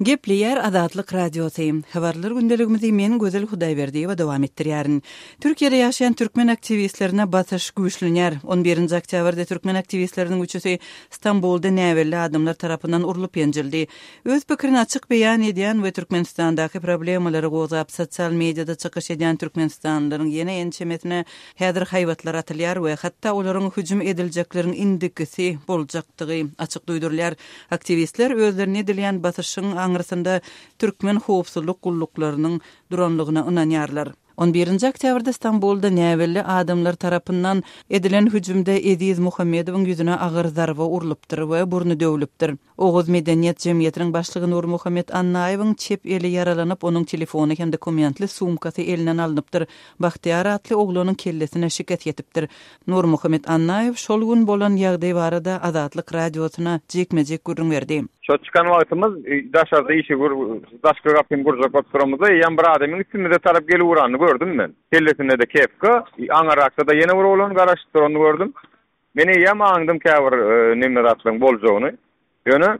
Gepleýär Azatlyk Radiosy. Habarlar gündeligimizi men Gözel Hudaýberdiýewa dowam etdirýärin. Türkiýede ýaşaýan türkmen aktiwistlerine basyş güýçlenýär. On birinji oktýabrda türkmen aktiwistleriniň üçüsi Stambulda näbelli adamlar tarapyndan urlup ýenjildi. Öz pikirini açyk beýan edýän we Türkmenistandaky problemalary gozgap sosial mediada çykyş edýän türkmenistanlylaryň ýene ençemesine häzir haýbatlar atylýar we hatda olaryň hüjüm ediljekleriň indikisi boljakdygy açyk duýdurylýar. Aktiwistler özlerine edilýän basyşyň aňyrsynda türkmen howpsuzlyk gulluklarynyň duranlygyna ynanýarlar. On birinji oktýabrda Stambulda näbelli adamlar tarapyndan edilen hüjümde Eziz Muhammedowyň ýüzüne agyr zarba urlupdyr we burny döwlüpdir. Oguz medeniýet jemgyýetiniň başlygy Nurmuhammet Annaýewiň çep eli ýaralanyp, onuň telefony hem dokumentli sumkasy elinden alnypdyr. Bagtyýar atly oglanyň kellesine şikes ýetipdir. Nurmuhammet Annaýew şol gün bolan ýagdaý barada Azatlyk Radiosyna jikme-jik gürrüň berdi. Şo çykan wagtymyz daşarda işigi daşky gapyny gurjak bolup duramyzda eýýäm bir adamyň üstümize tarap gelip uranyny gördüm men. Kellesinde-de kepka, aňyrrakda-da ýene bir oglan garaşyp duranyny gördüm. Men eýýäm aňdym käbir neme zatlaryň boljagyny. Ýöne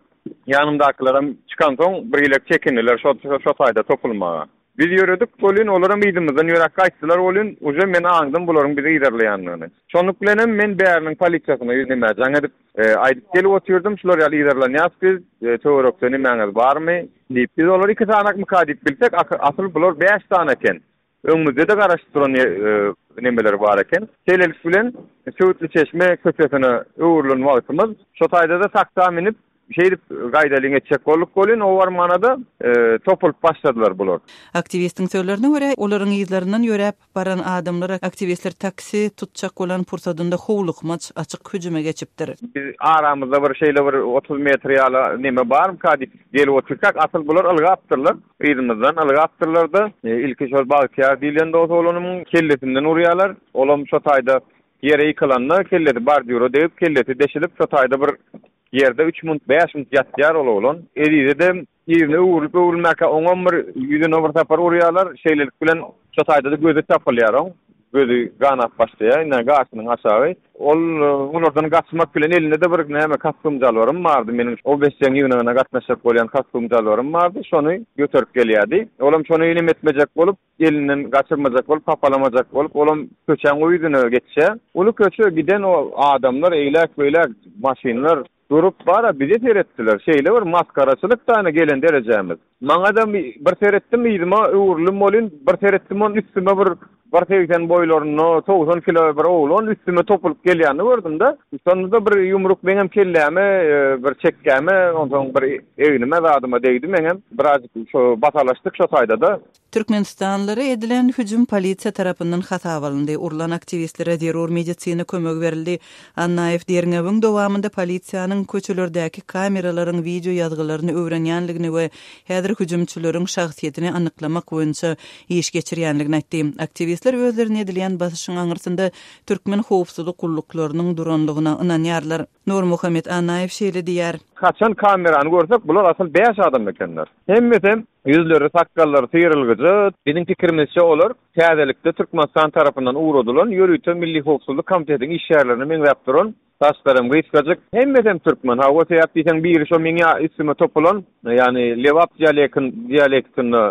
ýanymdakylaram çykansoň birhilek çekindiler şo şo taýda topulmaga. Biz ýöredik welin olaram yzymyzdan ýöräp gaýtdylar welin uje men aňdym bularyň bizi yzarlaýandygyny. Şonluk bilenem men bäriniň polisiýasyna nemä jaň edip aýdyp gelip otyrdym şular ýaly yzarlanýas biz töwerekde nemäňiz barmy diýip. Biz olary iki sanakmyka diýip bilsek asyl bular bäş sany eken. Öňümizde-de garaşyp duran nemeler bar eken. Şeýlelik bilen, Söwütliçeşme köçesine öwrülen wagtymyz, şo taýda-da taksa münüp, şeýdip gaýdalyň etjek bolduk welin, o barmana-da topulyp başladylar bular. Aktiwistiň sözlerine görä, olaryň yzlaryndan ýöräp baran adamlar aktiwistler taksi tutjak bolan pursadynda howlukmaç açyk hüjüme geçipdir. Biz aramyzda bir şeýle bir 30 metr ýaly neme barmyka diýip gelip otyrkak, asyl bular ylgapdyrlar. Yzymyzdan ylgapdyrlar-da, ilki şol Bagtyýar diýlen dos oglanymyň kellesinden urýarlar. Olam şo taýda ýere ýykylanda, kellesi bordýura degip, kellesi deşilip, şo taýda bir ýerde üç munt, bäş munt ýatýar ol oglan. Ezize-de yzyna öwrülip-öwrülmäkä oňam bir ýüzüne bir sapar urýarlar. Şeýlelik bilen şo taýda-da gözi çapylýar oň. Gözi ganap başlaýar, ine, gaşynyň aşagy. Ol olardan gaçmak bilen elinde-de bir näme kostum-jalbarym bardy meniň. OBSJ-iň ýygnagyna gatnaşjak bolýan kostum-jalbarym bardy, şony göterip gelýärdi. Olam şony nem etmejek bolup, elinden gaçyrmajak bolup, hapalamajak bolup, olam köçäň o ýüzüne geçýär. Uly köçe giden o adamlar eýläk-beýläk maşynlar Durup bara bize seretdiler. Şeýle bir masgaraçylyk da ine gelen derejämiz. Maňada bir seretdim yzyma öwrüldim welin bir seretdim on üstüme bir bir 80 boýlarynda 90 kilo bir oglan üstüme topulyp gelýänini gördüm-de. Şonda-da bir ýumruk meňem kelläme bir çekgäme onsoň bir egnime zadyma degdi meňem. Birazjyk şo basalaşdyk şo taýda-da. Türkmenistanlylara edilen hüjüm polisiýa tarapyndan hasaba alyndy, urlan aktiwistlere zerur medisina kömegi berildi. Annaýew derňewiň dowamynda polisiýanyň köçelerdäki kameralaryň wideo ýazgylaryny öwrenýänligini we häzir hüjümçileriň şahsyýetini anyklamak boýunça iş geçirýänligini aýtdy. Aktiwistler özlerine edilýän basyşyň aňyrsynda türkmen howpsuzlyk gulluklarynyň duranlygyna ynanýarlar. Nurmuhammet Annaýew şeýle diýýär. Haçan kamerany görsek, bular asyl bäş adam ekenler. Hemmesem ýüzleri, sakgallary syrylgyja. Biziň pikirimizçe olar täzelikde Türkmenistan tarapyndan ugradylan ýörite Milli howpsuzlyk komitetiniň işgärlerine meňzäp duran, saçlaram gysgajyk, hemmesem türkmen. Hawa, sebäp diýseň biri şo meň üstüme topulan, ýagny lebap dialektinde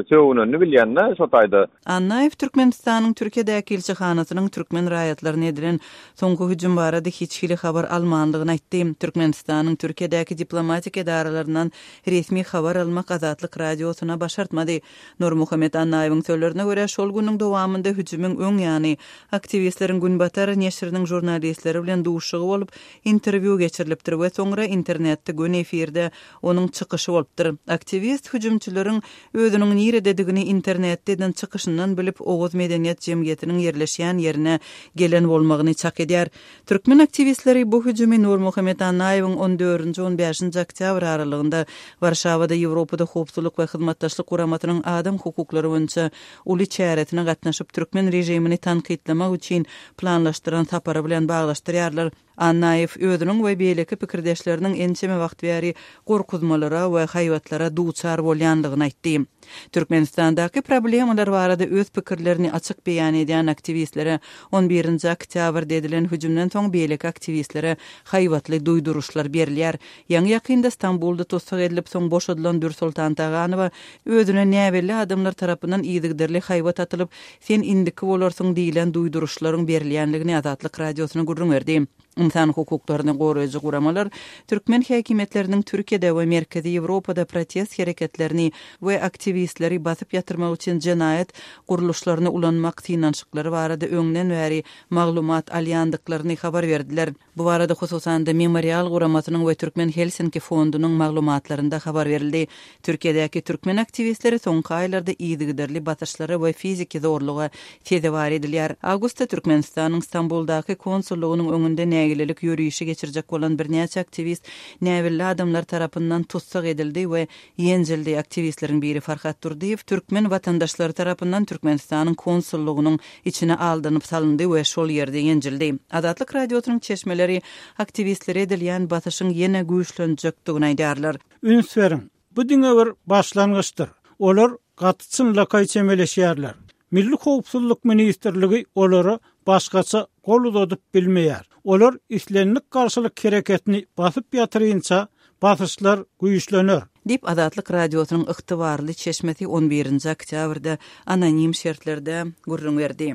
sögünenini bilýän-de şo taýda. Annaýew Türkmenistanyň Türkiýedäki ilçihanasynyň türkmen raýatlaryna edilen soňky hüjüm barada hiç hili habar almandygyny aýtdy. Türkmenistanyň Türkiýedäki diplomatik edaralaryndan resmi habar almak Azatlyk Radiosyna başartmady. Nurmuhammet Annaýewiň sözlerine görä, şol günüň dowamynda hüjümiň öň ýany aktiwistleriň Günbatar neşiriniň žurnalistleri bilen duşuşygy bolup, interwýu geçirilipdir we soňra internetde göni efirde onuň çykyşy bolupdyr. Aktiwist hüjümçileriň özüniň nirededigini internetde eden çykyşyndan bilip, Oguz medeniýet jemgyýetiniň ýerleşýän ýerine gelen bolmagyny çak edýär. Türkmen aktiwistleri bu hüjümi Nurmuhammet Annaýewiň on dördünji, on bäşinji oktýabr aralygynda Warşawada Ýewropada Howpsuzlyk we Hyzmatdaşlyk Guramasynyň adam hukuklary boýunça uly çäresine gatnaşyp, türkmen režimini tankytlamak üçin planlaşdyran sapary bilen baglaşdyrýarlar. Annaýew özüniň we beýleki pikirdeşleriniň ençeme wagt bäri gorkuzmalara we haýbatlara duçar bolýandygyny aýtdy. Türkmenistandaky problemalar barada öz pikirlerini açyk beýan edýän aktiwistlere on birinji oktýabrda edilen hüjümden soň beýleki aktiwistlere haýbatly duýduryşlar berilýär. Ýaňy-ýakynda Stambulda tussag edilip, soň boşadylan Dürsoltan Taganowa özüne näbelli adamlar tarapyndan yzygiderli haýbat atylyp, Sen indiki bolarsyň diýlen duýduryşlaryň berilýänligini Azatlyk Radiosyna gürrüň berdi. Ynsan hukuklaryny goraýjy guramalar türkmen häkimiýetleriniň Türkiýede we Merkezi Ýewropada protest hereketlerini we aktiwistleri basyp ýatyrmak üçin jenaýat gurluşlaryny ulanmak synanyşyklary barada öňden bäri maglumat alýandyklaryny habar berdiler. Bu barada hususan-da Memorial guramasynyň we Türkmen Helsinki fondunyň maglumatlarynda habar berildi. Türkiýedäki türkmen aktiwistleri soňky aýlarda yzygiderli basyşlara we fiziki zorluga sezewar edilýär. Awgustda Türkmenistanyň Stambuldaky konsullygynyň öňünde nägilelik ýörişi geçirjek bolan birnäçe aktiwist näbelli adamlar tarapyndan tussag edildi we ýenjildi. Aktiwistleriň biri Farhat Durdyýew türkmen watandaşlary tarapyndan Türkmenistanyň konsullygynyň içine aldanyp salyndy we şol ýerde ýenjildi. Azatlyk Radiosynyň çeşmeleri aktiwistlere edilýän basyşyň ýene güýçlenjekdigini aýdýarlar. Üns beriň, bu diňe bir başlangyçdyr. Olar gaty çynlakaý çemeleşýärler. Milli howpsuzlyk ministrligi olara başgaça gol uzadyp bilmeýär. Olar islendik garşylyk hereketini basyp ýatyrynça, basyşlar güýçlener. Diýip, Azatlyk Radiosynyň ygtybarly çeşmesi on birinji oktýabrda anonim şertlerde gürrüň berdi.